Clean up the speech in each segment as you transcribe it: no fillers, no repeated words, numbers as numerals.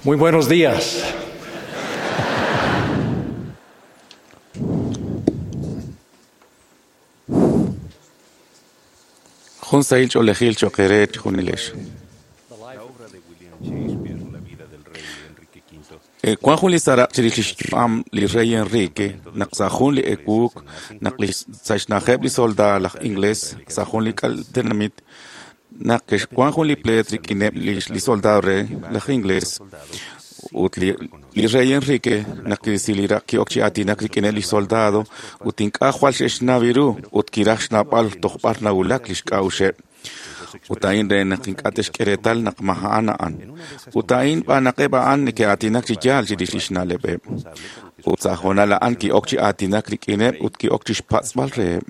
Muy buenos días. Jun sahil ch'oolejil cho'q eere chejunilex. La obra de William Shakespeare, La vida del rey Enrique V, Wan jun li seraq' chirix li xyu'am li rey Enrique naq sa' jun li ewuuk naq li sa' xna'ajeb' li soldaad laj inglés sa' jun li k'al tenamit naq ke'xwan jun li pleet rik'ineb' li soldado re laj inglés ut li rey Enrique naq kirisi li raq' ki'ok chi aatinak rik'ineb' li soldado ut ink'a' jwal xe'xnaw ru ut kiraj xnawb'al toj b'ar nawulak li xk'a'uxeb'. Ut a'in re naq ink'a' te'xk'e reetal naq ma a'an a'an. Ut a'in b'an naq eb' a'an neke'aatinak chi yaal chirix li xna'leb'eb'. Ut sa' hoonal a'an ki'ok chi aatinak rik'ineb' ut ki'ok chixpatz'b'al reheb'.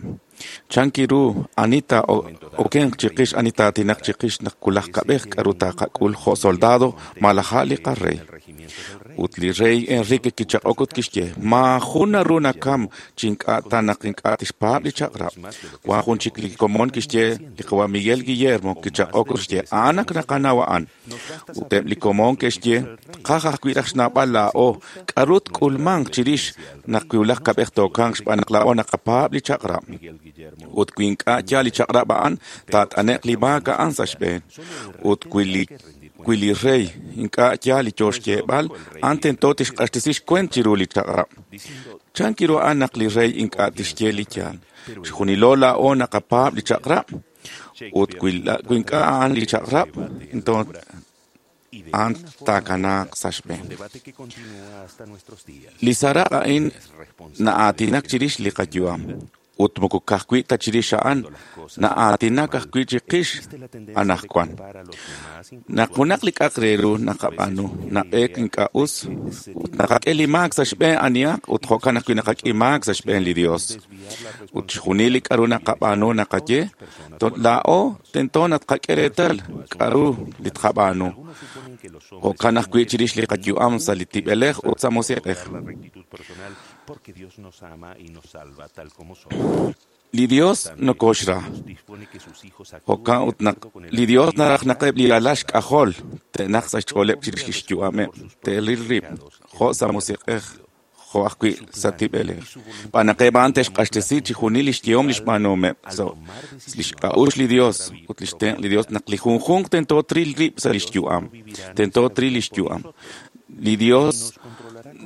Chan kiru ani taa'okenq chiqix ani taatinaq chiqix naq wulaj kab'ej k'aru taqak'ul jo' soldado malaj a' li qarey. Ut li rey Enrique kichaq'ok ut kixye, maajun naru nakam chi ink'a' ta naq ink'a' tixpaab' li chaq'rab'. Wan jun chik li komon kixye li qawa' Miguel Guillermo kichaq'ok ut xye, a'an ak naqanaw a'an. Ut eb' li komon ke'xye, tqaj ajwi' raj xnawb'al laa'o k'aru tk'ulmanq chirix naq wulaj kab'ej tookamq xb'aan naq laa'o naqapaab' li chaq'rab'. Ut wi ink'a' yaal li chaq'rab' a'an, taat'ane'q li maak a'an sa' xb'een. Ut wi li rey ink'a' yaal li yo xyeeb'al, a'an tento tixq'axtesi xkuent chiru li chaq'rab'. Chan kiru a'an naq li rey ink'a' tixye li yaal. Chixjunilo laa'o naqapaab' li chaq'rab'. Ut wi ink'a' a'an li chaq'rab', entonces a'an taakanaaq sa' xb'een. un debate que continúa hasta nuestros días. Li seraq' a'in na'aatinak chirix li qayu'am. Ut moko ka'ajwi' ta chirix a'an, na'aatinak ajwi' chiqix anaqwan. Naq junaq li k'a'aq re ru naqab'aanu, nab'eek ink'a' us, ut naqak'e li maak sa' xb'een anihaq ut jo'kan ajwi' naqak'e maak sa' xb'een li Dios. Ut chixjunil li k'aru naqab'aanu naqaye, laa'o tento naq tqak'e reetal k'aru li tqab'aanu. Jo'kan ajwi' chirix li qayu'am sa' li tib'elej ut sa' musiq'ej. La rectitud personal, porque Dios nos ama y nos salva tal como somos. Li Dios nokoxra. Dispone que sus hijos actúen Jo'kan ut de naq acuerdo con el li Dios naraj naq eb' li alal xk'ajol te'naq sa' xch'ooleb' chirix li xyu'ameb', te'ril rib' jo' sa' musiq'ej, jo' ajwi' sa' tib'elej. B'an naq eb' a'an te'xq'axtesi chixjunil li xyehom li xb'aanuhomeb' so' li xk'a'uxl li Dios ut li xtenq' li Dios naq li junjunq tento tril rib' sa' li xyu'am, tento tril li xyu'am. Li Dios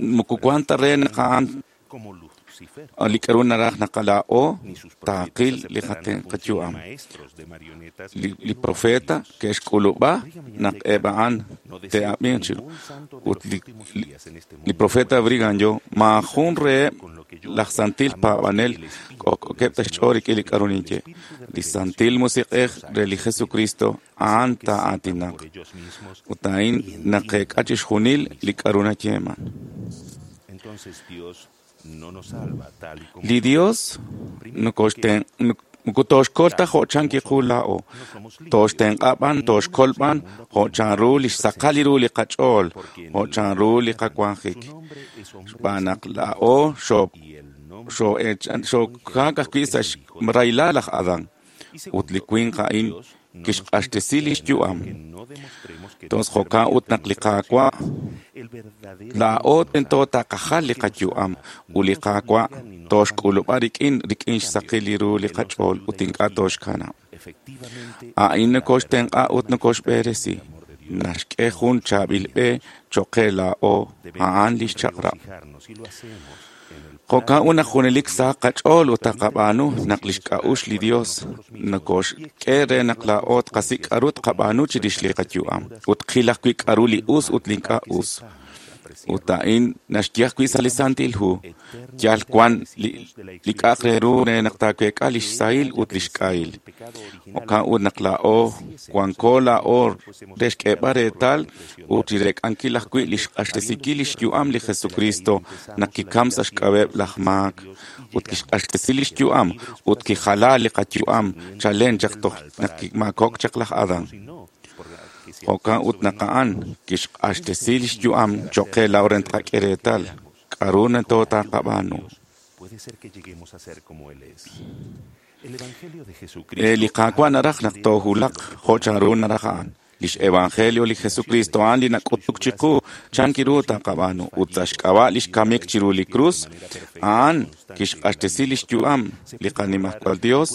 moko wan ta re naq a'an como Lucifer. li k'aru naraj naq laa'o Ni sus taaqil profetas li aceptarán la función de qayu'am. maestros de marionetas Li profeta ke'xk'ulub'a naq eb' a'an No deseo te'ab'inq chiru. ningún santo de Ut los últimos días en este li mundo profeta Brigham Young maajun reheb' con lo que yo laj santil amo paab'anel el Espíritu k'ok'okeb' ta del xch'ool Señor rik'in li k'aru el ninye. Espíritu de Li revelación Santil Musiq'ej re li Jesucristo a'an que sepan taa'aatinaq. por ellos mismos Ut a'in y entiendan naqeek'a chixjunil li k'aru nayeeman. Entonces Dios no nos salva tal y como Li Dios nokoxten moko tooxkol ta jo' chan kiqu laa'o. no somos limpios. Tooxtenq'a b'an, tooxkol b'an, jo' chanru li xsaqal ru li qach'ool, Porque en jo' el chanru li Adán, qawanjik. su nombre es hombre Xb'aan naq de laa'o y el nombre xookaak ajwi' sa' xraylal laj Adán. Y Ut li segundo, winq a'in Dios no nos kixq'axtesi li permite xyu'am. que no demostremos que Entonces Dios jo'kan ut permite naq li nuestra Qaawa' acción. El verdadero laa'o Dios nos tento ama, taqajal li que nos qayu'am ama, ut no li nos Qaawa' obliga ni nos tooxk'ulub'a abandona. rik'in rik'in En cambio, xsaqil ru li Él nos qach'ool ayuda ut y nos ink'a' guía. tooxkanab'. Efectivamente, A'in la nokoxtenq'a verdadera ut nokoxb'eresi. manifestación del amor de Dios Naxk'e jun chaab'il b'e cho'q qe laa'o a'an li Debemos xchaq'rab'. regocijarnos y lo hacemos en el Jo'kan plan ut naq junelik de sa Dios qach'ool ut nos permite taqab'aanu tomar naq li decisiones xk'a'uxl li claras para Dios nosotros mismos y nokoxk'e re exponer naq las laa'o tqasik' consecuencias k'aru como tqab'aanu nos chirix li cuentan las qayu'am Escrituras ut qil ajwi' k'aru li y lo us ut li malo ink'a' para que us. sepamos apreciar Ut lo a'in naxye ajwi' sa' li Santil Hu, yal eternamente wan agradecidos de la li k'a'aq re expiación ru re naq taaweek'a li que Él xsahil haya ut li vencido xk'ahil. el pecado original Jo'kan ut naq laa'o si ese nos wanko laa'o fuésemos re xk'eeb'al castigados por la reetal transgresión ut de chi Adán. reek'ankil Por ajwi' li tanto, habiendo xq'axtesinkil li sido xyu'am li redimidos de la Jesucristo caída, empezamos naq la kikam vida sa' haciendo xk'ab'eb' la laj justicia de maak Dios y ut llegamos kixq'axtesi li a ser xyu'am libres por ut la sangre, kijala li qayu'am discerniendo chalen el chaq toj mal naq para kimaakok chaq laj Adán. sino por la que se Jo'kan alzó ut sobre naq a'an nosotros. kixq'axtesi En li ese xyu'am sentido, al cho'q qe hacer laa'o re lo que tqak'e reetal queramos k'aru y tento con la ayuda de taqab'aanu. Dios, puede ser que lleguemos a ser como Él es. El Evangelio de Li Jesucristo Qaawa' habla naraj naq de toohulaq lo que jo' chanru podamos naraj a'an. Lix evangelio li Jesucristo a'an li nak'utuk chiqu chan kiru taqab'aanu ut sa' xk'ab'a' lix kamik chiru li krus, a'an kixq'axtesi lix yu'am li qanimajwal Dios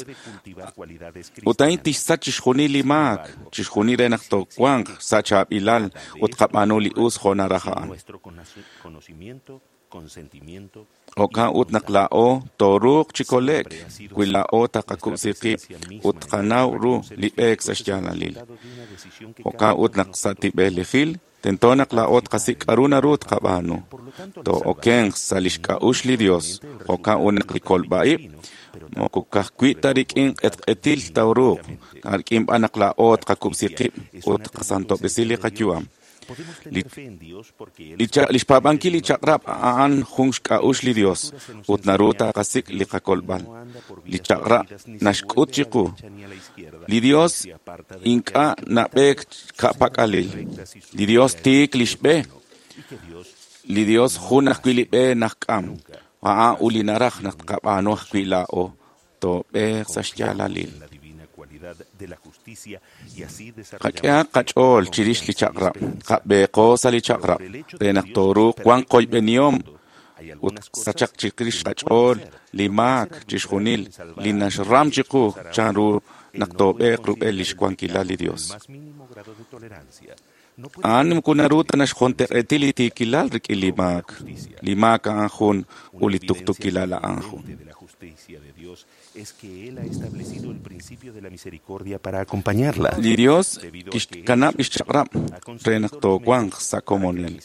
ut a'in tixsach chixjunil li maak, chixjunil re naq toowanq sa' chaab'ilal ut qab'aanu li us jo' naraj a'an. Jo'kan ut naq laa'o tooruuq chi kole'k wi laa'o taqakub'si qib' ut tqanaw ru li b'eek sa' xyaalalil. Jo'kan ut naq sa' tib'elejil tento naq laa'o tqasik' k'a'ru naru tqab'aanu. Too'okenq sa' lix k'a'uxl li Dios. Jo'kan ut naq li kolb'a-ib' moko ka'ajwi' ta rik'in q'etq'etil tooruuq, rik'in b'an naq laa'o tqakub'si qib' ut tqasantob'resi li qayu'am. Li xpaab'ankil li chaq'rab' a'an jun xk'a'uxl li Dios ut naru taqasik' li qakolb'al. Li chaq'rab' naxk'ut chiqu. Li Dios ink'a' nab'eek ka'pak'alil. Li Dios tiik lix b'e. Li Dios jun ajwi' li b'e najk'am. A'an ut li naraj naq tqab'aanu ajwi' laa'o. Toob'eeq sa' xyaalalil. Qak'ehaq qach'ool chirix li chaq'rab', qab'eeqo sa' li chaq'rab' re naq tooruuq wanq qoyb'enihom ut sachaq chirix qach'ool li maak chixjunil li naxram chiqu chanru naq toob'eeq rub'el lix wankilal li Dios. A'an moko naru ta naxjonteq'eti li tiikilal rik'in li maak. Li maak a'an jun ut li tuqtuukilal a'an jun. Li Dios kixkanab' lix chaq'rab' re naq toowanq sa' komonil.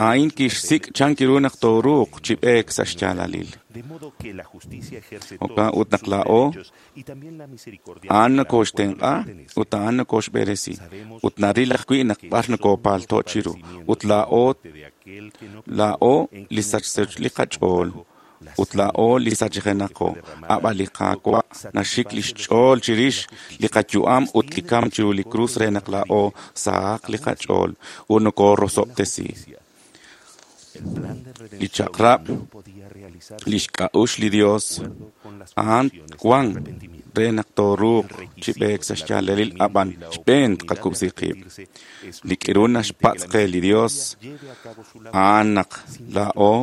A'in kixsik' chan kiru naq tooruuq chi b'eek sa' xyaalalil. Jo'kan ut naq laa'o a'an nokoxtenq'a ut a'an nokoxb'eresi ut naril ajwi' naq b'ar nokopaalto' chiru ut laa'o li sachso li qach'ool ut laa'o li sachjenaqo. Ab'an li Qaawa' naxik lix ch'ool chirix li qayu'am ut li kamk chiru li krus re naq laa'o sahaq li qach'ool ut nokorosob'tesi. Li chaq'rab', lix k'a'uxl li Dios, a'an wan re naq tooruuq chi b'eek sa' xyaalalil ab'an xb'een tqakub'si qib'. Li k'iru naxpatz' qe li Dios, a'an naq laa'o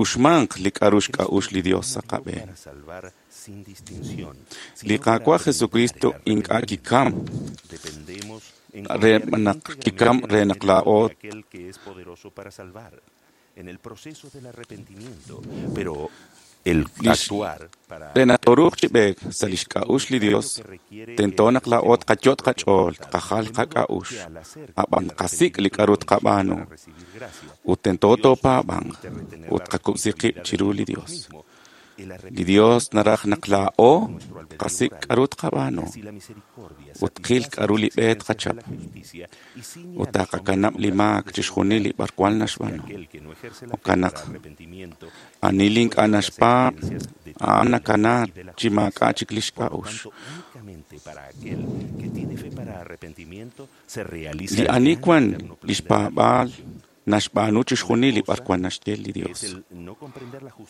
uxmanq li k'a'ru xk'a'uxl li Dios sa' qab'een. Li Qaawa' Jesucristo ink'a' kikam re naq kikam re naq laa'o re naq tooruuq chi b'eek sa' lix k'a'uxl li Dios, tento naq laa'o tqayot' qach'ool, tqajal qak'a'uxl, ab'an tqasik' li k'a'ru tqab'aanu ut tento toopaab'anq ut tqakub'si qib' chiru li Dios. Li Dios naraj naq laa'o tqasik' k'a'ru tqab'aanu ut tqil k'a'ru li b'e tqachap ut taqakanab' li maak chixjunil li b'arwan naxb'aanu. Jo'kan naq ani li ink'a' naxpaab' a'an nakana chi maak'a' chik lix k'a'uxl. Li ani wan lix paab'aal naxb'aanu chixjunil li b'arwan naxye li Dios.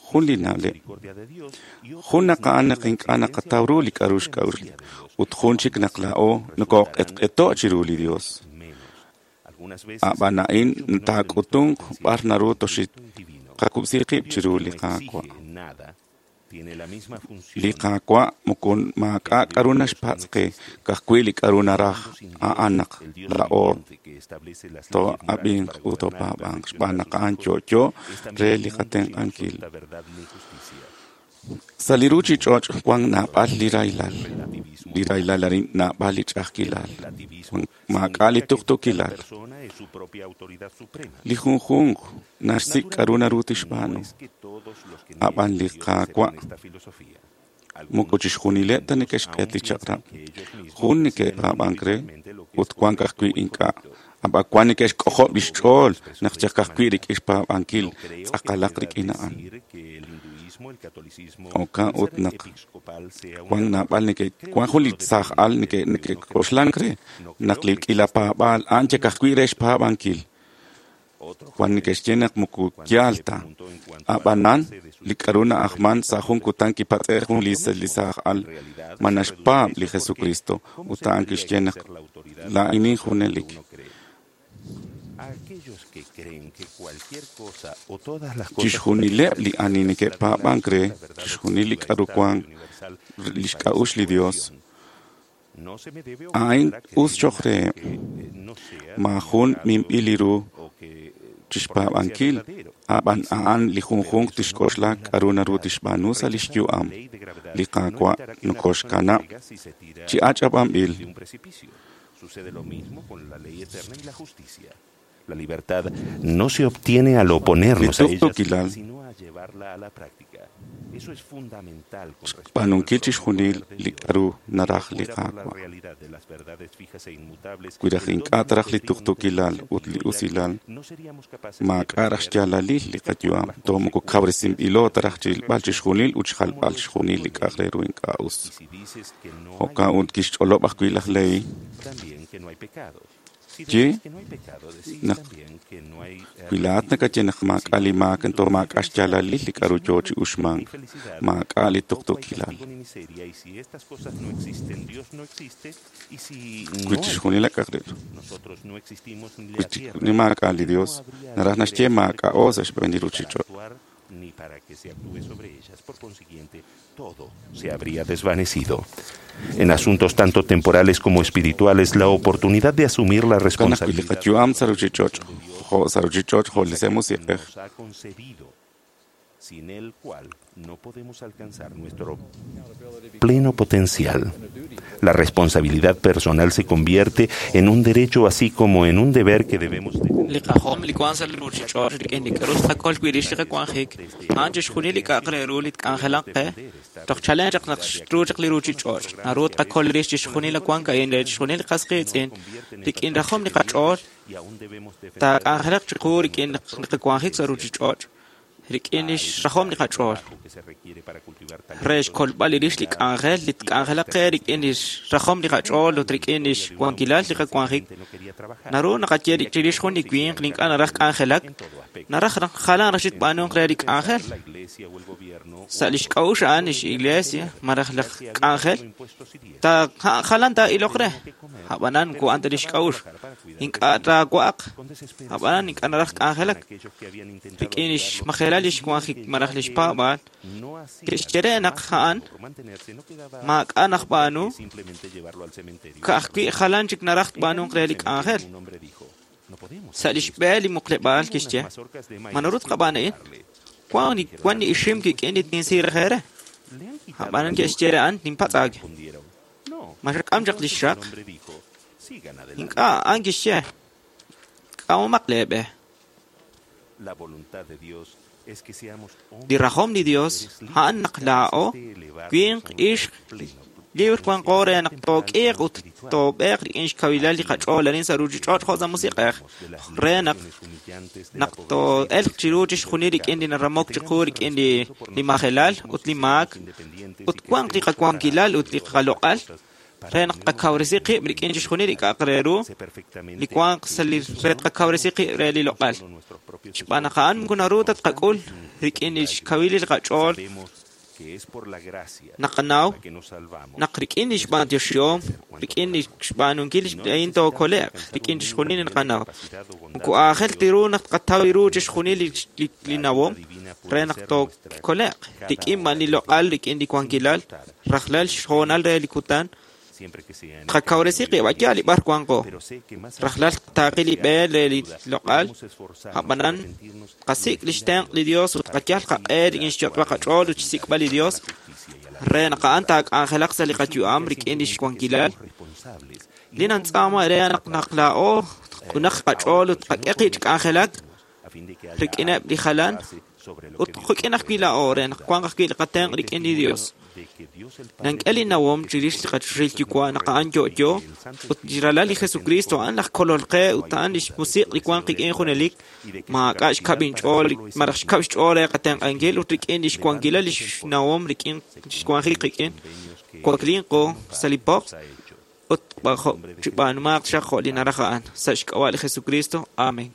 Jun li na'leb'. Jun naq a'an naq ink'a' naqataw ru li k'a'ru xk'a'uxl ut jun chik naq laa'o nokoq'etq'eto' chiru li Dios. Ab'an a'in taak'utunq b'ar naru toxiqakub'si qib' chiru li Qaawa'. Li Qaawa' moko maak'a' k'a'ru naxpatz' qe, ka'ajwi' li k'a'ru naraj a'an naq laa'o too'ab'inq ut toopaab'anq xb'aan naq a'an yo'yo re li qatenq'ankil. Sa' li ruchich'och' wan naab'al li rahilal. Li rahilal arin naab'al li ch'a'ajkilal. Maak'a' li tuqtuukilal. Li junjunq naxsik' k'a'ru naru tixb'aanu. Ab'an li Qaawa' moko chixjunileb' ta neke'xq'et li chaq'rab'. Jun neke'paab'ank re ut wan ka'ajwi' ink'a'. Ab'an wan neke'xk'ojob' lix ch'ool naq chaq ka'ajwi' rik'in xpaab'ankil tz'aqalaq rik'in a'an. Jo'kan ut naq wan naab'al wan jun li saaj al neke'k'oxlank re naq li k'iila paab'aal a'an chak ajwi' re xpaab'ankil. Wan neke'xye naq moko yaal ta. A'b'anan, li k'a'ru na'ajman sa' jun kutan kipatz'e' jun li saaj al ma naxpaab' li Jesucristo, ut a'an kixye naq laa'inin junelik. Chixjunileb' li ani neke'paab'ank re chixjunil li k'a'ru wan lix k'a'uxl li Dios, a'in us choq' reheb'. Maajun minb'il li ru chixpaab'ankil, a'b'an a'an li junjunq tixk'oxla k'a'ru naru tixb'aanu sa' lix yu'am. Li Qaawa' nokoxkanab' chi ach'ab'anb'il. La libertad no se obtiene al oponernos a ella, sino a llevarla a la práctica. Eso es fundamental con respecto Xb'aanunkil chixjunil li k'a'ru naraj li Qaawa'. Wi raj ink'a' taraj li tuqtuukilal ut li usilal, maak'a' raj xyaalalil li qayu'am, toj moko kawresinb'ilo taraj chirilb'al chixjunil ut xjalb'al chixjunil li k'a'aq re ru ink'a' us. Jo'kan ut kixch'olob' ajwi' laj Lehi ye naq wi laa'at nakaye naq maak'a' li maak toj maak'a' xyaalalil li k'a'ru yoo chi uxmank, maak'a' li tuqtuukilal. Wi chixjunil k'a'aq re ru, wi chixjunil maak'a' li Dios, naraj naxye maak'a'o sa' xb'een li ruchich'och'. Ni para que se actúe sobre ellas. Por consiguiente, todo se habría desvanecido. En asuntos tanto temporales como espirituales, la oportunidad de asumir la responsabilidad nos ha concebido, sin el cual no podemos alcanzar nuestro pleno potencial. La responsabilidad personal se convierte en un derecho así como en un deber que debemos Li qajom li wank sa' li ruchich'och' rik'in li k'a'ru tqakol wi' rix li qawanjik, a'an chixjunil li k'a'aq re ru li tk'anjelaq qe, toj chalen chaq naq xru chaq li ruchich'och', naru tqakol rix chixjunil li wank a'in re chixjunil li qas qiitz'in, rik'in rajom li qach'ool, taak'anjelaq chiqu rik'in li qawanjik sa' ruchich'och', rik'in lix rajom li qach'ool. Re xkolb'al li rix li k'anjel li tk'anjelaq qe rik'in lix rajom li qach'ool ut rik'in lix wankilal li qawanjik, naru naqaye chirix jun li winq li ink'a' naraj k'anjelak, naraj naq jalan raj xitb'aanunk re li k'anjel. Sa' lix k'a'uxl a'an lix iglesia malaj laj k'anjel, ta jalan taa'iloq re, a'b'anan moko a'an ta lix k'a'uxl. Ink'a' taawa'aq, a'b'anan ink'a' naraj k'anjelak. Rik'in lix majelal lix wanjik malaj lix paab'aal, ke'xye re naq a'an maak'a' najb'aanu, ka'ajwi' jalan chik naraj tb'aanunk re li k'anjel. Sa' lix b'e li muqleb'aal kixye, ma naru tqab'aan a'in? Wan li ixim kik'in li tinsi raj re. A'b'anan ke'xye re a'an ninpatz'aak. Ma xak'am chaq lix xaq? Ink'a' a'an kixye, k'amomaq lee b'e. Li rajom li Dios a'an naq laa'o winq ixq libre wanqo re naq took'iiq ut toob'eeq rik'in xkawilal li qach'ool arin sa' ruchich'och' jo' sa' musiq'ej re naq naq too'elq chiru chixjunil rik'in li naramok chiqu rik'in li majelal ut li maak ut wanq li qawankilal ut li qaloq'al re naq tqakawresi qib' rik'in chixjunil li k'a'aq re ru li wanq sa' li re tqakawresi qib' re li loq'al. Xb'aan naq a'an moko naru ta tqak'ul rik'in li xkawil li qach'ool naqanaw naq rik'in li xb'antioxihom, rik'in li xb'aanunkil a'in tookole'q, rik'in chixjunil li naqanaw. Moko aajel ta ru naq tqataw ru chixjunil li nawom re naq tookole'q, rik'in b'an li loq'al, rik'in li wankilal, rajlal xhoonal re li kutan, tqakawresi qib' yaal li b'ar wanqo. Rajlal taaqi li b'e re li loq'al, a'b'anan qasik' lix tenq' li Dios ut qayal qaq'e rik'in xyot'b'al qach'ool ut xsik'b'al li Dios re naq a'an taak'anjelaq sa' li qayu'am rik'in lix wankilal. Li nantz'aama re naq naq laa'o q'unaq qach'ool ut qak'e qib' chi k'anjelak rik'ineb' li jalan ut quk'in ajwi' laa'o re naq wanq ajwi' li qatenq' rik'in li Dios. Nank'e li nawom chirix li qachoxahil Yuwa' naq a'an yo'yo ut li ralal li Jesucristo a'an laj kolol qe ut a'an lix musiq' li wanq qik'in junelik, maak'a' xkab' inch'ool malaj xkab' xch'ool re qatenq'ankil ut rik'in lix wankilal lix nawom rik'in xwanjik qik'in, waklinqo sa' li poq ut chib'aanumaaq xaq jo' li naraj a'an. Sa' xk'ab'a' li Jesucristo. Amén.